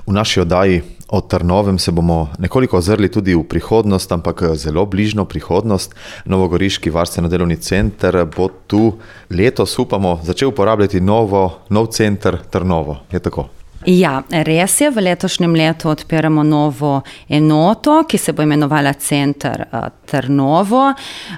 V naši oddaji o Trnovem se bomo nekoliko ozrli tudi v prihodnost, ampak zelo bližno prihodnost. Novogoriški varstveno-delovni center bo tu letos, upamo, začel uporabljati nov center Trnovo. Je tako? Ja, res je. V letošnjem letu odpiramo novo enoto, ki se bo imenovala Center Trnovo.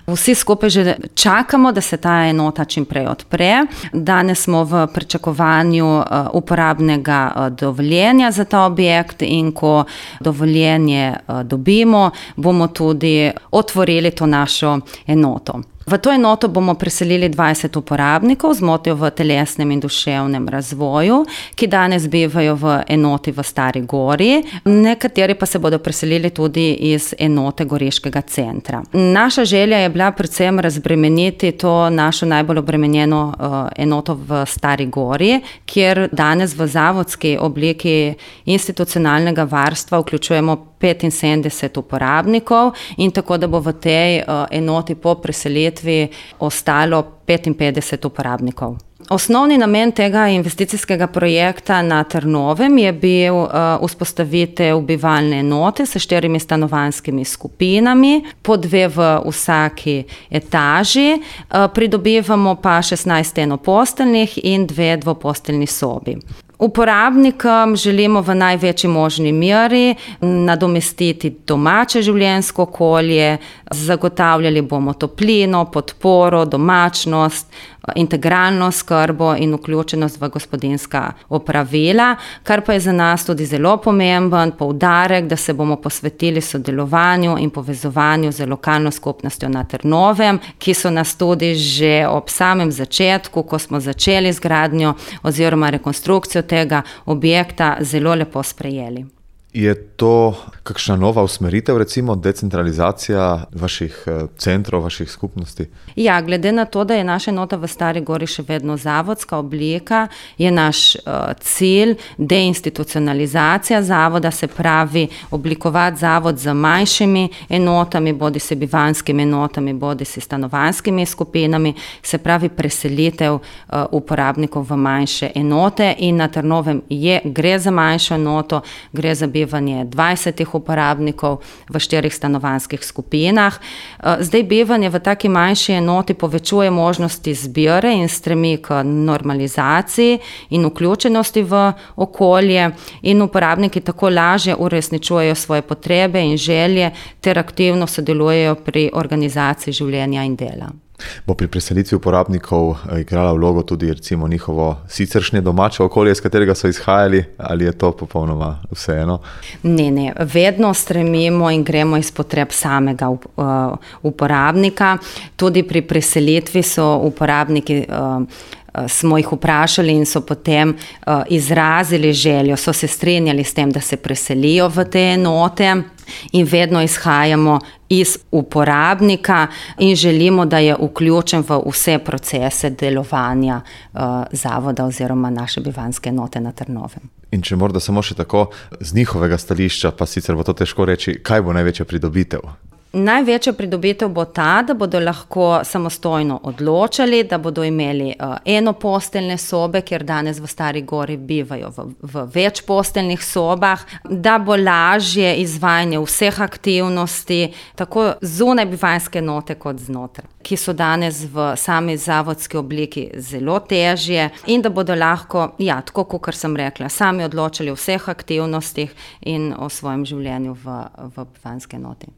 Vsi skupaj že čakamo, da se ta enota čim prej odpre. Danes smo v pričakovanju uporabnega dovoljenja za ta objekt in ko dovoljenje dobimo, bomo tudi otvorili to našo enoto. V to enoto bomo preselili 20 uporabnikov z motnjo v telesnem in duševnem razvoju, ki danes bivajo v enoti v Stari Gori, nekateri pa se bodo preselili tudi iz enote Goriškega centra. Naša želja je bila predvsem razbremeniti to našo najbolj obremenjeno enoto v Stari Gori, kjer danes v zavodski obliki institucionalnega varstva vključujemo 75 uporabnikov in tako, da bo v tej enoti po preselitvi ostalo 55 uporabnikov. Osnovni namen tega investicijskega projekta na Trnovem je bil vzpostavitev bivalne enote s 4 stanovanjskimi skupinami, po 2 v vsaki etaži, pridobivamo pa 16 enoposteljnih in 2 dvoposteljni sobi. Uporabnikom želimo v največji možni meri nadomestiti domače življenjsko okolje, zagotavljali bomo toplino, podporo, domačnost, integralno skrbo in vključenost v gospodinjska opravila, kar pa je za nas tudi zelo pomemben poudarek, da se bomo posvetili sodelovanju in povezovanju z lokalno skupnostjo na Trnovem, ki so nas tudi že ob samem začetku, ko smo začeli z gradnjo oziroma rekonstrukcijo tega objekta, zelo lepo sprejeli. Je to kakšna nova usmeritev, recimo decentralizacija vaših centrov, vaših skupnosti? Ja, glede na to, da je naša enota v Stari Gori še vedno zavodska oblika, je naš cilj deinstitucionalizacija zavoda, se pravi oblikovati zavod z manjšimi enotami, bodisi bivanjskimi enotami, bodisi stanovanjskimi skupinami, se pravi preselitev uporabnikov v manjše enote in na Trnovem gre za manjšo enoto, gre za bivanje 20 uporabnikov v 4 stanovanjskih skupinah. Zdaj bivanje v taki manjši enoti povečuje možnosti zbire in stremi k normalizaciji in vključenosti v okolje in uporabniki tako lažje uresničujejo svoje potrebe in želje ter aktivno sodelujejo pri organizaciji življenja in dela. Bo pri preselitvi uporabnikov igrala vlogo tudi recimo njihovo siceršnje domače okolje, iz katerega so izhajali, ali je to popolnoma vseeno? Ne, vedno stremimo in gremo iz potreb samega uporabnika. Tudi pri preselitvi so uporabniki smo jih vprašali in so potem izrazili željo, so se strinjali s tem, da se preselijo v te enote in vedno izhajamo iz uporabnika in želimo, da je vključen v vse procese delovanja zavoda oziroma naše bivanjske enote na Trnovem. In če morda samo še tako, z njihovega stališča, pa sicer bo to težko reči, kaj bo največja pridobitev? Največja pridobitev bo ta, da bodo lahko samostojno odločali, da bodo imeli enoposteljne sobe, kjer danes v Stari Gori bivajo v večposteljnih sobah, da bo lažje izvajanje vseh aktivnosti, tako zunaj bivanjske enote kot znotraj, ki so danes v sami zavodski obliki zelo težje in da bodo lahko, tako kot sem rekla, sami odločali o vseh aktivnostih in o svojem življenju v bivanjski enoti.